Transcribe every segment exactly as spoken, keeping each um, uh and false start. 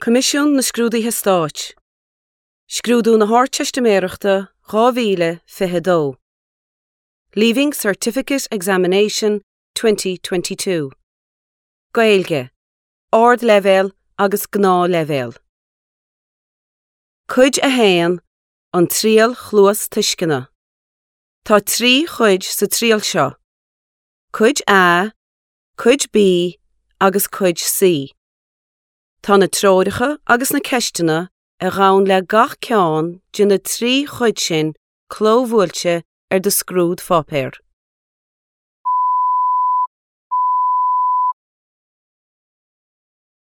Coimisiún na Scrúduithe Stáit. Scrúdú na hArdteistiméireachta dhá mhíle fiche a dó. Leaving Certificate Examination twenty twenty two. Gaeilge, Ardleibhéal agus Gnáthleibhéal. Cuid a haon, An Triail Chluastuisceana. Tá trí chuid sa triail seo. Cuid A, Cuid B agus Cuid C. Tá na treoracha agus na ceisteanna a ghabhann le gach ceann de na trí chuid sin clóbhuailte ar do scrúdpháipéar.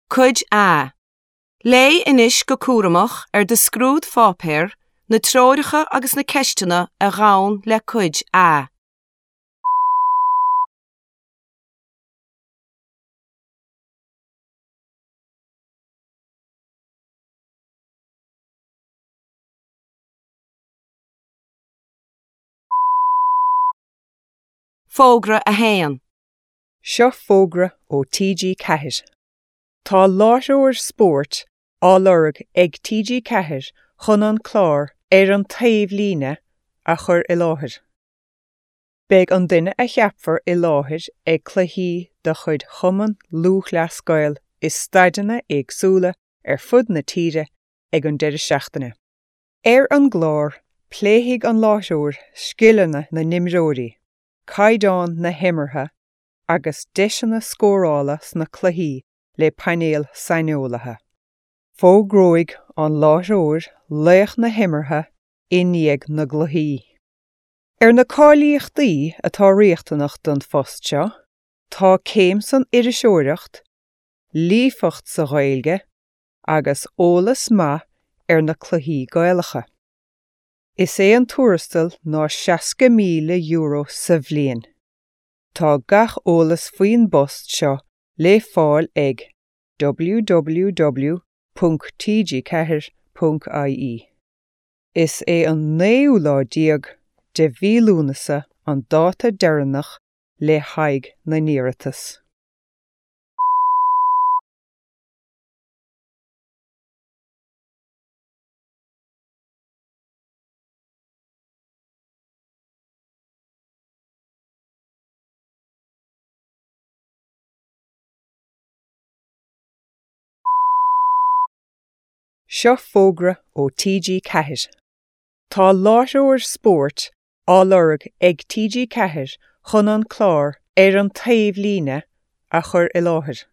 Cuid A. Léigh anois go cúramach ar do scrúdpháipéar na treoracha agus na ceisteanna a ghabhann le Cuid A. Fógra a haon. Seo fógra ó T G Ceathair. Tá láithreoir spóirt á lorg ag T G Ceathair chun an clár ar an taobhlíne a chur i láthair. Beidh an duine a cheapfar i láthair ag cluichí de chuid Chumann Lúthchleas Gael i staideanna éagsúla ar fud na tíre ag an deireadh seachtaine. Ar an gclár, pléifidh an láithreoir scileanna na n-imreoirí, caighdeán na himeartha agus deiseanna scórála sna cluichí le painéal saineolaithe. Fógróidh an láithreoir laoch na himeartha i ndiaidh na gcluichí. Ar na cáilíochtaí atá riachtanach don phost seo, tá céim san iriseoireacht, líofacht sa Ghaeilge agus eolas maith ar na cluichí Gaelacha. Is é an tuarastal ná seasca míle euro sa bhliain. Tá gach eolas faoin bpost seo le fáil ag w w w ponc t g ceathair ponc i e. Is é an naoú lá déag de mhí Lúnasa an dáta deireanach le haghaidh na n-iarratas. Seo fógra ó T G Ceathair. Tá láithreoir spóirt á lorg ag T G Ceathair chun an clár ar an taobhlíne a chur i láthair.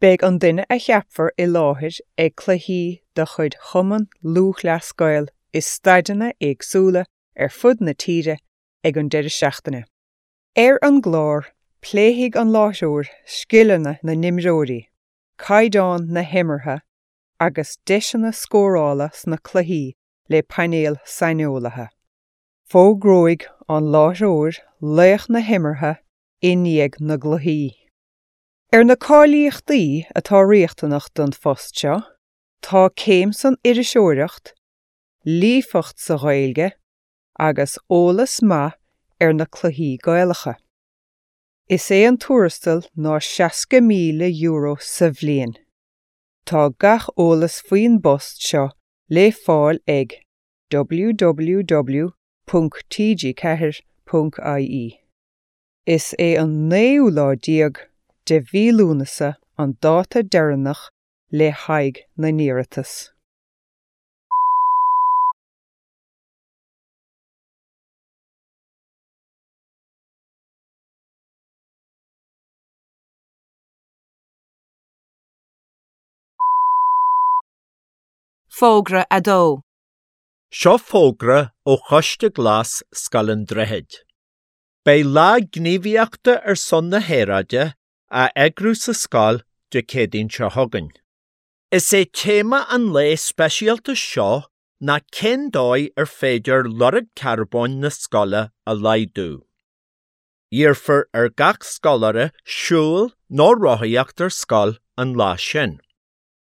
Beidh an duine a cheapfar i láthair ag cluichí de chuid Chumann Lúthchleas Gael i staideanna éagsúla ar fud na tíre ag an deireadh seachtaine. Ar an gclár, pléifidh an láithreoir scileanna na n-imreoirí, caighdeán na himeartha agus deiseanna scórála sna cluichí le painéal saineolaithe. Fógróidh an láithreoir laoch na himeartha i ndiaidh na gcluichí. Ar na cáilíochtaí atá riachtanach don phost seo, tá céim san iriseoireacht, líofacht sa Ghaeilge agus eolas maith ar na cluichí Gaelacha. Is é an tuarastal ná seasca míle euro sa bhliain. Tá gach eolas faoin bpost seo le fáil ag w w w ponc t g ceathair ponc i e. Is é an naoú lá déag de mhí Lúnasa an dáta deireanach le haghaidh na n-iarratas. Fógra a dó. Seo fógra ó Choiste Glas Scoil an Droichid. Beidh lá gníomhaíochta ar son na haeráide á eagrú sa scoil Dé Céadaoin seo chugainn. Is é téama an lae speisialta seo ná cén dóigh ar féidir lorg carbóin na scoile a laghdú. Iarrfar ar gach scoláire siúl nó rothaíocht ar scoil an lá sin.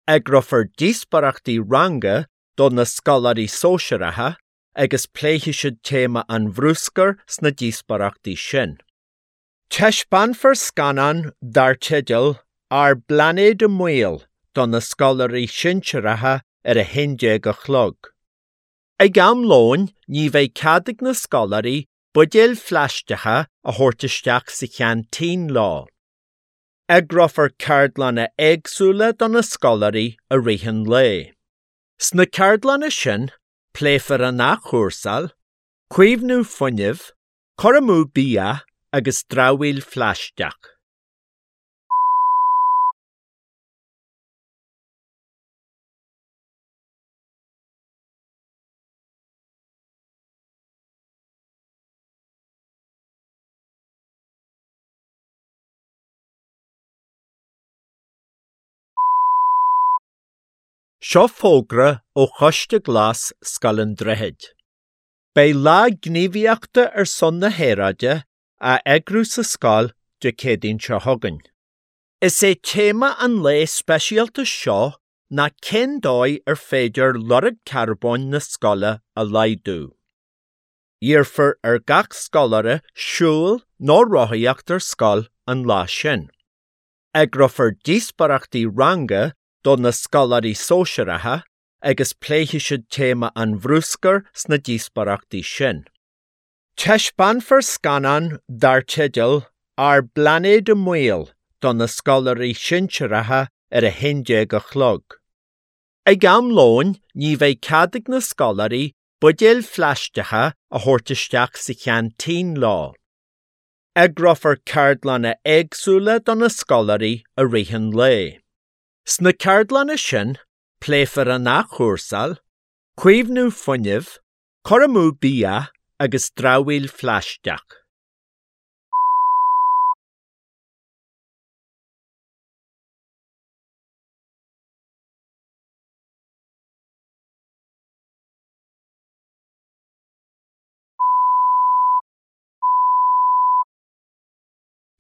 Eagrófar díospoireachtaí ranga do na scoláirí sóisearacha agus pléifidh siad téama an bhrúscair sna díospoireachtaí sin. Taispeánfar scannán dar teideal Ár bPlainéad i mBaol do na scoláirí sinsearacha ar a haon déag a chlog. Ag am lóin ní bheidh cead ag na scoláirí buidéil phlaisteacha a thabhairt isteach sa cheaintín leo. Eagrófar ceardlanna éagsúla do na scoláirí i rith an lae. Sna ceardlanna sin, pléifear an athchúrsáil, caomhnú fuinnimh, cur amú bia agus dramhaíl phlaisteach. Seo fógra ó Choiste Glas Scoil an Droichid. Beidh lá gníomhaíochta ar son na haeráide á eagrú sa scoil Dé Céadaoin seo chugainn. Is é téama an lae speisialta seo ná cén dóigh ar féidir lorg carbóin na scoile a laghdú. Iarrfar ar gach scoláire siúl nó rothaíocht ar scoil an lá sin. Eagrófar díospóireachtaí ranga do na scoláirí sóisearacha agus pléifidh siad téama an bhruscair sna díospóireachtaí sin. Taispeánfar scannán dar teideal Ár bPlainéad i mBaol do na scoláirí sinsearacha ar a haon déag a chlog. Ag am lóin ní bheidh cead ag na scoláirí buidéil phlaisteacha a thabhairt isteach sa cheaintín leo. Eagrófar ceardlanna éagsúla do na scoláirí i rith an lae. Sna ceardlanna sin, pléifear an athchúrsáil, caomhnú fuinnimh, cur amú bia agus dramhaíl phlaisteach.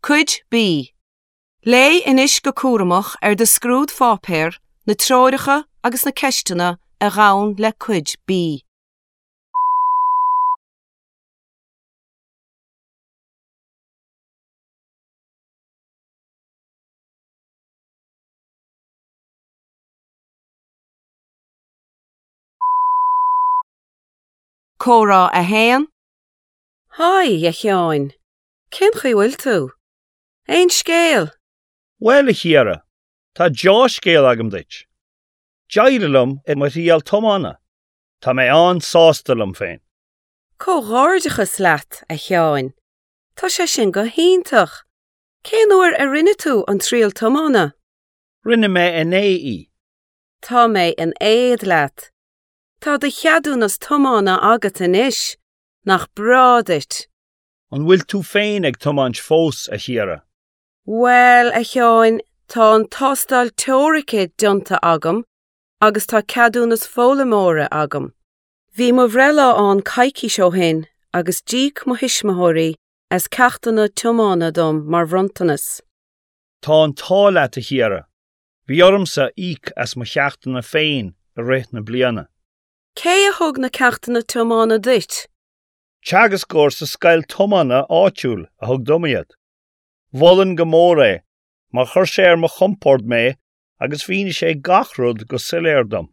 Cuid B. Léigh anois go cúramach ar do scrúdpháipéar na treoracha agus na ceisteanna a ghabhann le Cuid B. Comhrá a haon. Haigh, a Sheáin. Cén chaoi a bhfuil tú? Aon scéal? Bhuel, a Chiara, tá dea-scéal agam duit. D'éirigh liom i mo thriail tiomána. Tá mé an-sásta liom féin. Comhghairdeachas leat, a Sheáin. Tá sé sin go hiontach. Cén uair a rinne tú an triail tiomána? Rinne mé inné í. Tá mé in éad leat. Tá do cheadúnas tiomána agat anois, nach breá duit. An bhfuil tú féin ag tiomáint fós, a Chiara? Bhuel, a Sheáin, tá an tástáil teoirice déanta agam agus tá ceadúnas foghlaimeora agam. Bhí mo bhreithlá ann coicís ó shin agus d'íoc mo thuismitheoirí as ceachtanna tiomána dom mar bhronntanas. Tá an t-ádh leat, a Chiara. Bhí ormsa íoc as mo cheachtanna féin i rith na bliana. Cé a thug na ceachtanna tiomána duit? Teagascóir sa scoil tiomána áitiúil a thug dom iad. Mholfainn go mór é, mar chuir sé ar mo chompord mé agus mhínigh sé gach rud go soiléir dom.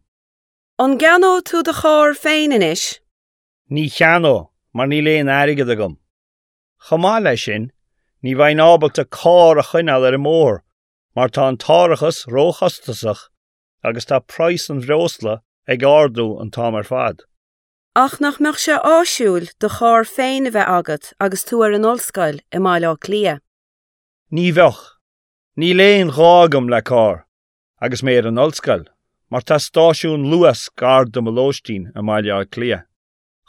An gceannóidh tú do charr féin anois? Ní cheannóidh, mar níl aon airgead agam. Chomh maith leis sin, ní bheinn ábalta carr a choinneáil ar an mbóthar, mar tá an t-árachas róchostasach agus tá praghas an bhreosla ag ardú an t-am ar fad. Ach nach mbeadh sé áisiúil do charr féin a bheith agat agus tú ar an ollscoil i mBaile Átha Cliath. Ní bheadh. Níl aon ghá agam le carr, agus mé ar an ollscoil, mar tá stáisiún Luas gar do mo lóistín i mBaile Átha Cliath.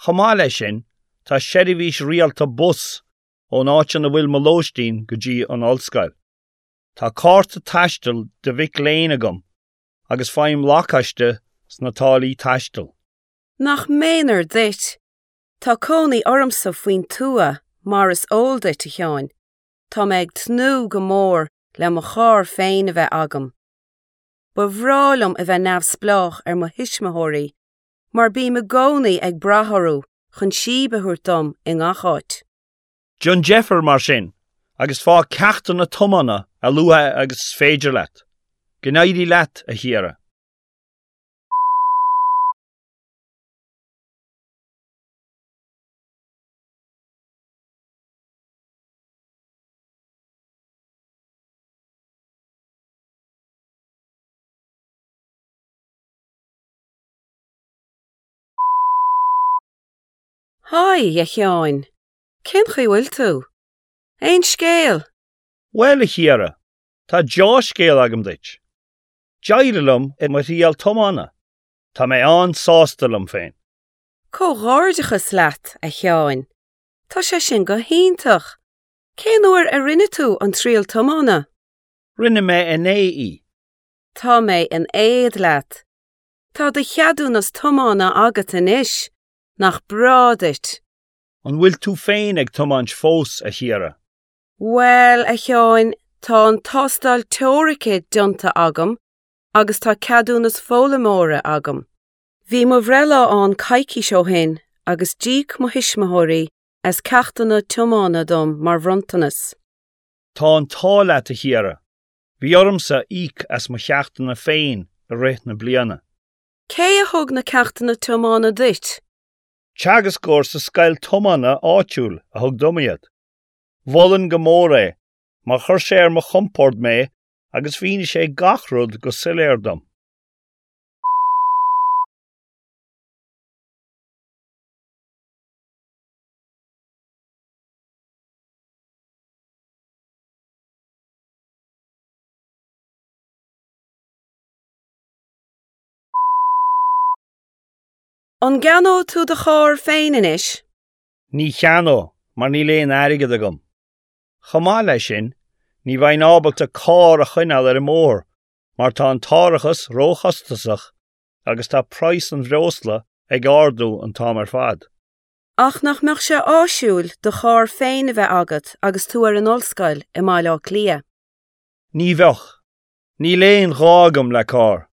Chomh maith leis sin, tá seirbhís rialta bus ón áit ina bhfuil mo lóistín go dtí an ollscoil. Tá cárta taistil do mhic léinn agam agus faighim lacáiste sna táillí taistil. Nach méanar duit. Tá cónaí ormsa faoin tuath mar is eol duit, a Sheáin. Tá mé ag tnúth go mór le mo charr féin a bheith agam. Ba bhreá liom a bheith neamhspleách ar mo thuismitheoirí, mar bím i gcónaí ag brath orthu chun síob a thabhairt dom i ngach áit. Déan deifir mar sin, agus faigh ceachtanna tiomána a luaithe agus is féidir leat. Go n-éirí leat, a Chiara. Haigh, a Sheáin. Cén chaoi a bhfuil tú? Aon scéal? Bhuel, a Chiara, tá dea-scéal agam duit. D'éirigh liom i mo thriail tiomána. Tá mé an-sásta liom féin. Comhghairdeachas leat, a Sheáin. Tá sé sin go hiontach. Cén uair a rinne tú an triail tiomána? Rinne mé inné í. Tá mé in éad leat. Tá do cheadúnas tiomána agat anois. Nach breá duit. An bhfuil tú féin ag tiomáint fós, a Chiara? Bhuel, a Sheáin, tá an tástáil teoirice déanta agam agus tá ceadúnas foghlaimeora agam. Bhí mo bhreithlá ann coicís ó shin agus d'íoc mo thuismitheoirí as ceachtanna tiomána dom mar bhronntanas. Tá an t-ádh leat, a Chiara. Bhí ormsa íoc as mo cheachtanna féin i rith na bliana. Cé a thug na ceachtanna tiomána duit? Teagascóir sa scoil tiomána áitiúil a thug dom iad. Mholfainn go mór é, mar chuir sé ar mo chompord mé agus mhínigh sé gach rud go soiléir dom. An gceannóidh tú do charr féin anois? Ní cheannóidh, mar níl aon airgead agam. Chomh maith leis sin, ní bheinn ábalta carr a choinneáil ar an mbóthar, mar tá an t-árachas róchostasach agus tá praghas an bhreosla ag ardú an t-am ar fad. Ach nach mbeadh sé áisiúil do charr féin a bheith agat agus tú ar an ollscoil i mBaile Átha Cliath? Ní bheadh. Níl aon ghá agam le carr,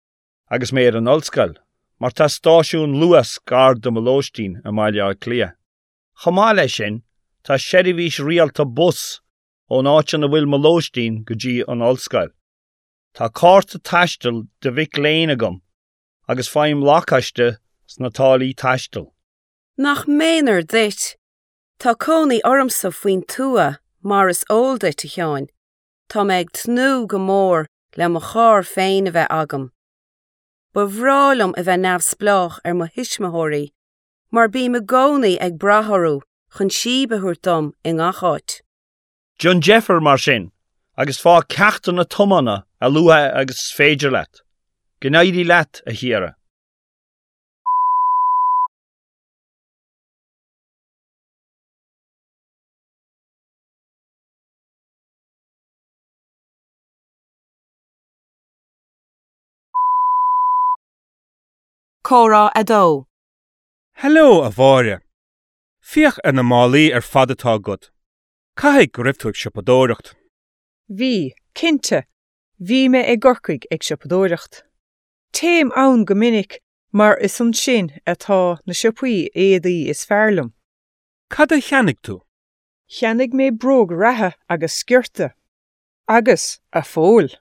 agus mé ar an ollscoil, mar tá stáisiún Luas gar do mo lóistín i mBaile Átha Cliath. Chomh maith leis sin, tá seirbhís rialta bus ón áit ina bhfuil mo lóistín go dtí an ollscoil. Tá cárta taistil de mhic léinn agam agus faighim lacáiste sna táillí taistil. Nach méanar duit. Tá cónaí ormsa faoin tuath mar is eol duit, a Sheáin. Tá mé ag tnúth go mór le mo charr féin a bheith agam. Ba bhreá liom a bheith neamhspleách ar mo thuismitheoirí, mar bím i gcónaí ag brath orthu chun síob a thabhairt dom i ngach áit. Déan deifir mar sin, agus faigh ceachtanna tiomána a luaithe agus is féidir leat. Go n-éirí leat, a Chiara. Comhrá a dó. Hello, a Mháire. Féach ar na málaí ar fad atá agat. Caithfidh go raibh tú ag siopadóireacht. Bhí, cinnte, bhí mé i gCorcaigh ag siopadóireacht. Téim ann go minic mar is ansin atá na siopaí éadaí is fearr liom. Cad a cheannaigh tú? Cheannaigh mé bróg reatha agus sciorta. Agus, a Phóil.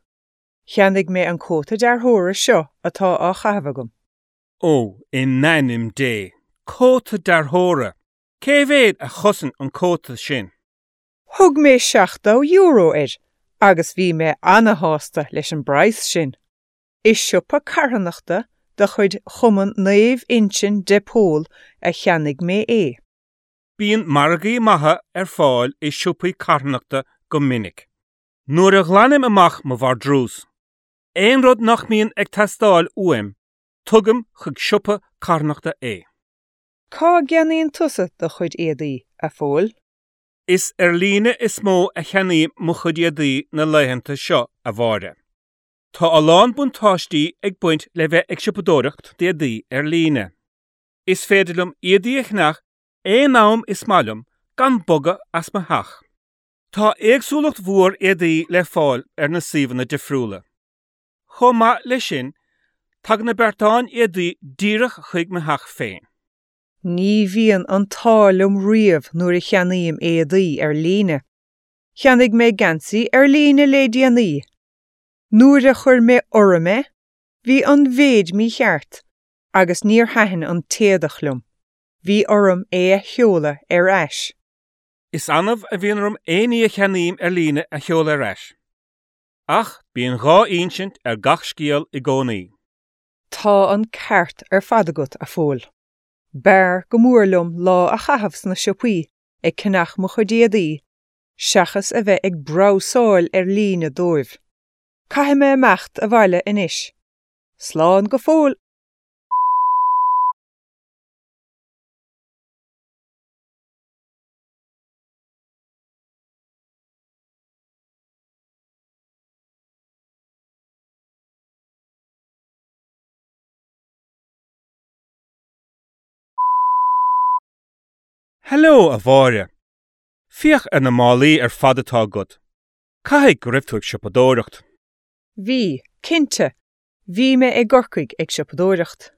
Cheannaigh mé an cóta dearthóra seo atá á chaitheamh agam. Ó, in ainm Dé, cóta dearthóra. Cé mhéad a chosain an cóta sin? Thug mé seachtó euro air, agus bhí mé an-sásta leis an bpraghas sin. I siopa carthanachta de chuid Chumann Naomh Uinseann de Pól a cheannaigh mé é. Bíonn margaí maithe ar fáil i siopaí carthanachta go minic. Nuair a ghlanaim amach mo vardrús, aon rud nach mbíonn ag teastáil uaim, tugaim chuig siopa carthanachta é. Cá gceannaíonn tusa do chuid éadaí, a Phóil? Is ar líne is mó a cheannaím mo chuid éadaí na laethanta seo, a Mháire. Tá a lán buntáistí ag baint le bheith ag siopadóireacht d'éadaí ar líne. Is féidir liom éadaí a cheannach aon am is maith liom gan bogadh as mo theach. Tá éagsúlacht mhór éadaí le fáil ar na suíomhanna difriúla. Chomh maith leis sin, tagann na beartáin éadaí díreach chuig mo theach féin. Ní bhíonn an t-ádh liom riamh nuair a cheannaím éadaí ar líne. Cheannaigh mé geansaí ar líne le déanaí. Nuair a chuir mé orm é, bhí an mhéid mícheart agus níor thaitin an t-éadach liom. Bhí orm é a sheoladh ar ais. Is annamh a bhíonn orm aon ní a cheannaím ar líne a sheoladh ar ais. Ach bíonn dhá insint ar gach scéal i gcónaí. Tá an ceart ar fad agat, a Phóil. B'fhearr go mór liom lá a chaitheamh sna siopaí ag ceannach mo chuid éadaí seachas a bheith ag brabhsáil ar líne dóibh. Caithfidh mé imeacht abhaile anois. Slán go fóill! Heileo, a Mháire. Féach ar na málaí ar fad atá agat. Caithfidh go raibh tú ag siopadóireacht. Bhí, cinnte, bhí mé i gCorcaigh ag siopadóireacht.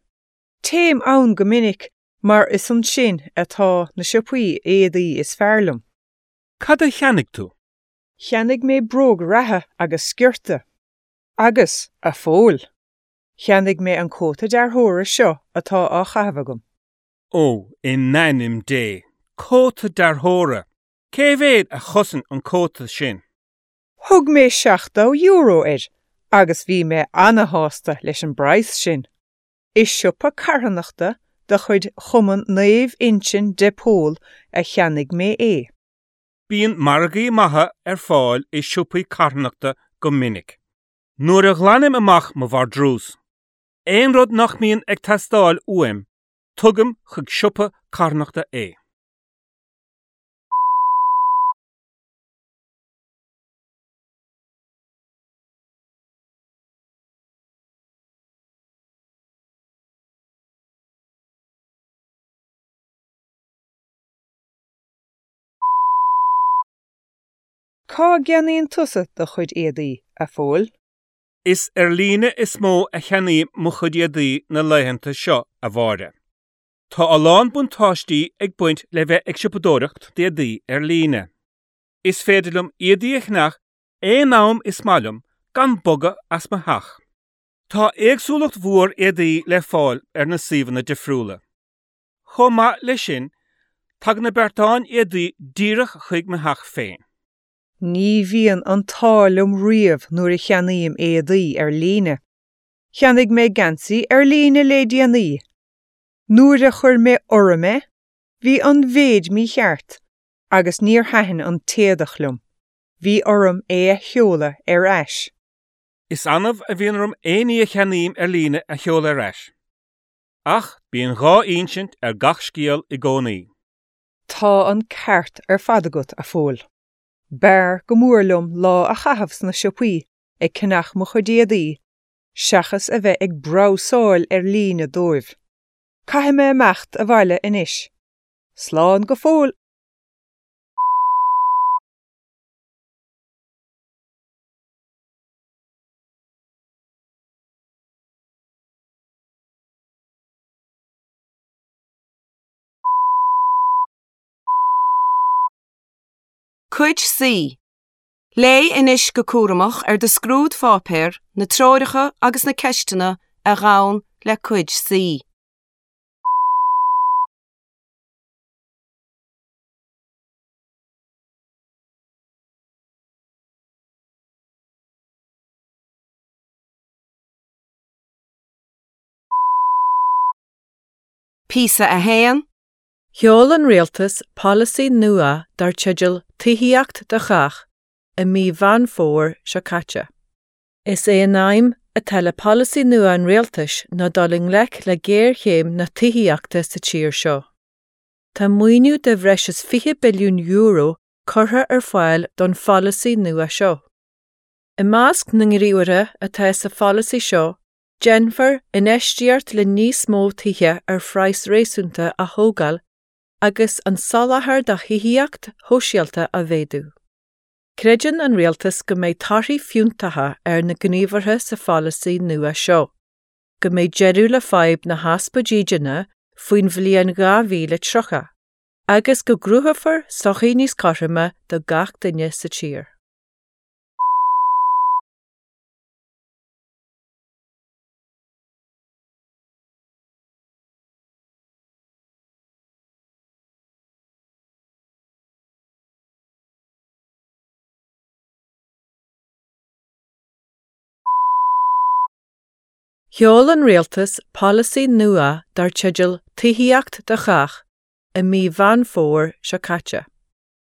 Téim ann go minic mar is ansin atá na siopaí éadaí is fearr liom. Cad a cheannaigh tú? Cheannaigh mé bróg reatha agus sciorta. Agus, a Phóil, cheannaigh mé an cóta dearthóra seo atá á chaitheamh agam. Ó, in ainm Dé, cóta dearthóra! Cé mhéad a chosain an cóta sin? Thug mé seachtó euro air agus bhí mé ana-shásta leis an bpraghas sin. I siopa carthanachta de chuid Chumann Naomh Uinseann de Pól a cheannaigh mé é. Bíonn margaí maithe ar fáil i siopaí carthanachta go minic. Nuair a ghlanaim amach mo vardrús, aon rud nach mbíonn ag teastáil uaim, tugaim chuig siopa carthanachta é. Cá gceannaíonn tusa do chuid éadaí, a Phóil? Is ar líne is mó a cheannaím mo chuid éadaí na laethanta seo, a Mháire. Tá a lán buntáistí ag baint le bheith ag siopadóireacht d'éadaí ar líne. Is féidir liom éadaí a cheannach aon am is maith liom gan bogadh as mo theach. Tá éagsúlacht mhór éadaí le fáil ar na suíomhanna difriúla. Chomh maith leis sin, tagann na beartáin éadaí díreach chuig mo theach féin. Ní bhíonn an t-ádh liom riamh nuair a cheannaím éadaí ar líne. Cheannaigh mé geansaí ar líne le déanaí. Nuair a chuir mé orm é, bhí an mhéid mícheart agus níor thaitin an t-éadach liom. Bhí orm é a sheoladh ar ais. Is annamh a bhíonn orm aon ní a cheannaím ar líne a sheoladh ar ais. Ach bíonn dhá insint ar gach scéal i gcónaí. Tá an ceart ar fad agat, a Phóil. B'fhearr go mór liom lá a chaitheamh sna siopaí ag ceannach mo chuid éadaí seachas a bheith ag brabhsáil ar líne dóibh. Caithfidh mé imeacht abhaile anois. Slán go fóill! Cuid C. Léigh anois go cúramach ar do scrúdpháipéar na treoracha agus na ceisteanna a ghabhann le Cuid C. Píosa a haon. Sheol an rialtas polasaí nua dar teideal Tithíocht do Chách i mí Mheán Fómhair seo caite. Is é an aidhm atá le polasaí nua an rialtais ná dul i ngleic le géarchéim na tithíochta sa tír seo. Tá maoiniú de bhreis is fiche billiún euro curtha ar fáil don pholasaí nua seo. I measc na ngníomhartha atá sa pholasaí seo, déanfar infheistíocht le níos mó tithe ar phraghas réasúnta a thógáil agus an soláthar do thithíocht shóisialta a mhéadú. Creideann an rialtas go mbeidh torthaí fiúntacha ar na gníomhartha sa pholasaí nua seo, go mbeidh deireadh le fadhb na heaspa dídine faoin bhliain dhá mhíle tríocha, agus go gcruthófar sochaí níos cothroime do gach duine sa tír. Sheol an rialtas polasaí nua dar teideal Tithíocht do Chách i mí Mheán Fómhair seo caite.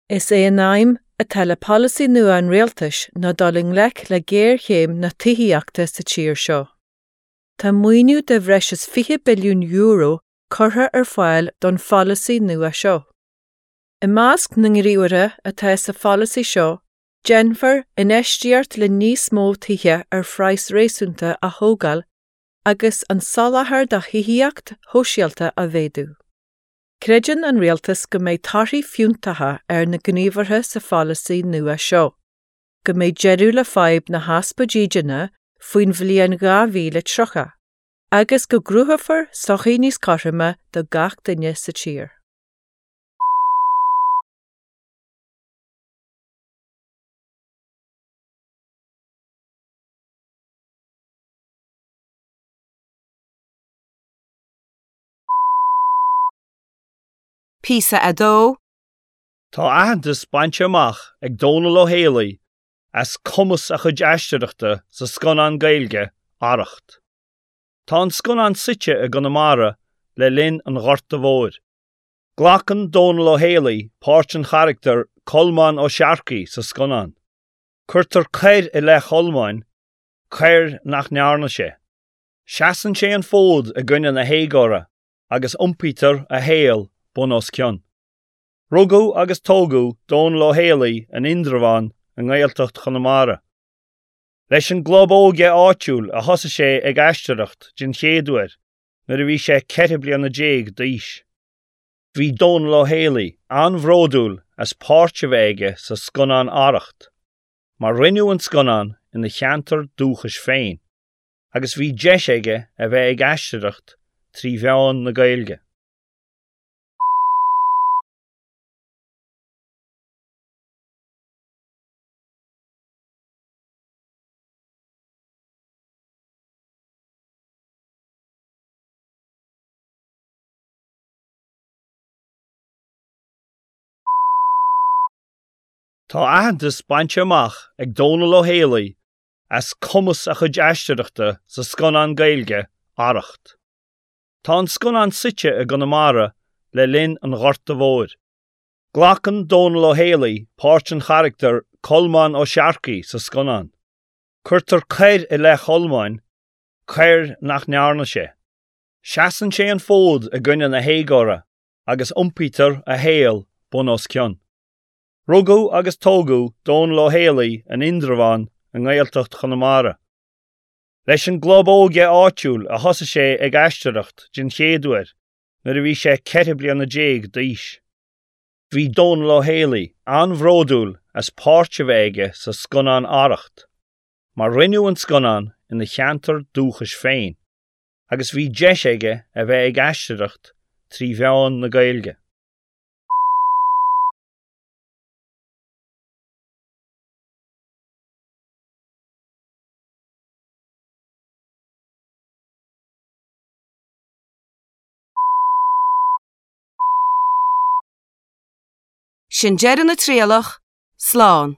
Is é an aidhm atá le polasaí nua an rialtais ná dul i ngleic le géarchéim na tithíochta sa tír seo. Tá maoiniú de bhreis is fiche billiún euro curtha ar fáil don pholasaí nua seo. I measc na ngníomhartha atá sa pholasaí seo, déanfar infheistíocht le níos mó tithe ar phraghas réasúnta a thógáil agus an soláthar do thithíocht shóisialta a mhéadú. Creideann an rialtas go mbeidh torthaí fiúntacha ar na gníomhartha sa pholasaí nua seo, go mbeidh deireadh le fadhb na heaspa dídine faoin bhliain dhá mhíle tríocha, agus go gcruthófar sochaí níos cothroime do gach duine sa tír. Píosa a dó. Tá aitheantas bainte amach ag Dónal Ó Héalaí as cumas a chuid aisteoireachta sa scannán Gaeilge, Arracht. Tá an scannán suite i gConamara le linn an Ghorta Mhóir. Glacann Dónal Ó Héalaí páirt an charachtair Colmán Ó Searcaigh sa scannán. Cuirtear coir i leith Cholmáin, coir nach ndearna sé. Seasann sé an fód i gcoinne na héagóra agus iompaítear a shaol bun os cionn. Rugadh agus tógadh Dónal Ó Héalaí in Indreabhán i nGaeltacht Chonamara. Leis an gclub óige áitiúil a thosaigh sé ag aisteoireacht den chéad uair nuair a bhí sé ceithre bliana déag d'aois. Bhí Dónal Ó Héalaí an-bhródúil as páirt a bheith aige sa scannán Arracht, mar rinneadh an scannán ina cheantar dúchais féin, agus bhí deis aige a bheith ag aisteoireacht trí mheán na Gaeilge. Tá aitheantas bainte amach ag Dónal Ó Héalaí as cumas a chuid aisteoireachta sa scannán Gaeilge, Arracht. Tá an scannán suite i gConamara le linn an Ghorta Mhóir. Glacann Dónal Ó Héalaí páirt an charachtair Colmán Ó Searcaigh sa scannán. Cuirtear coir i leith Cholmáin, coir nach ndearna sé. Seasann sé an fód i gcoinne na héagóra agus iompaítear a shaol bun os cionn. Rugadh agus tógadh Dónal Ó Héalaí in Indreabhán i nGaeltacht Chonamara. Leis an gclub óige áitiúil a thosaigh sé ag aisteoireacht den chéad uair nuair a bhí sé ceithre bliana déag d'aois. Bhí Dónal Ó Héalaí an-bhródúil as páirt a bheith aige sa scannán Arracht, mar rinneadh an scannán ina cheantar dúchais féin, agus bhí deis aige a bheith ag aisteoireacht trí mheán na Gaeilge. Sin deireadh na trialach, slán.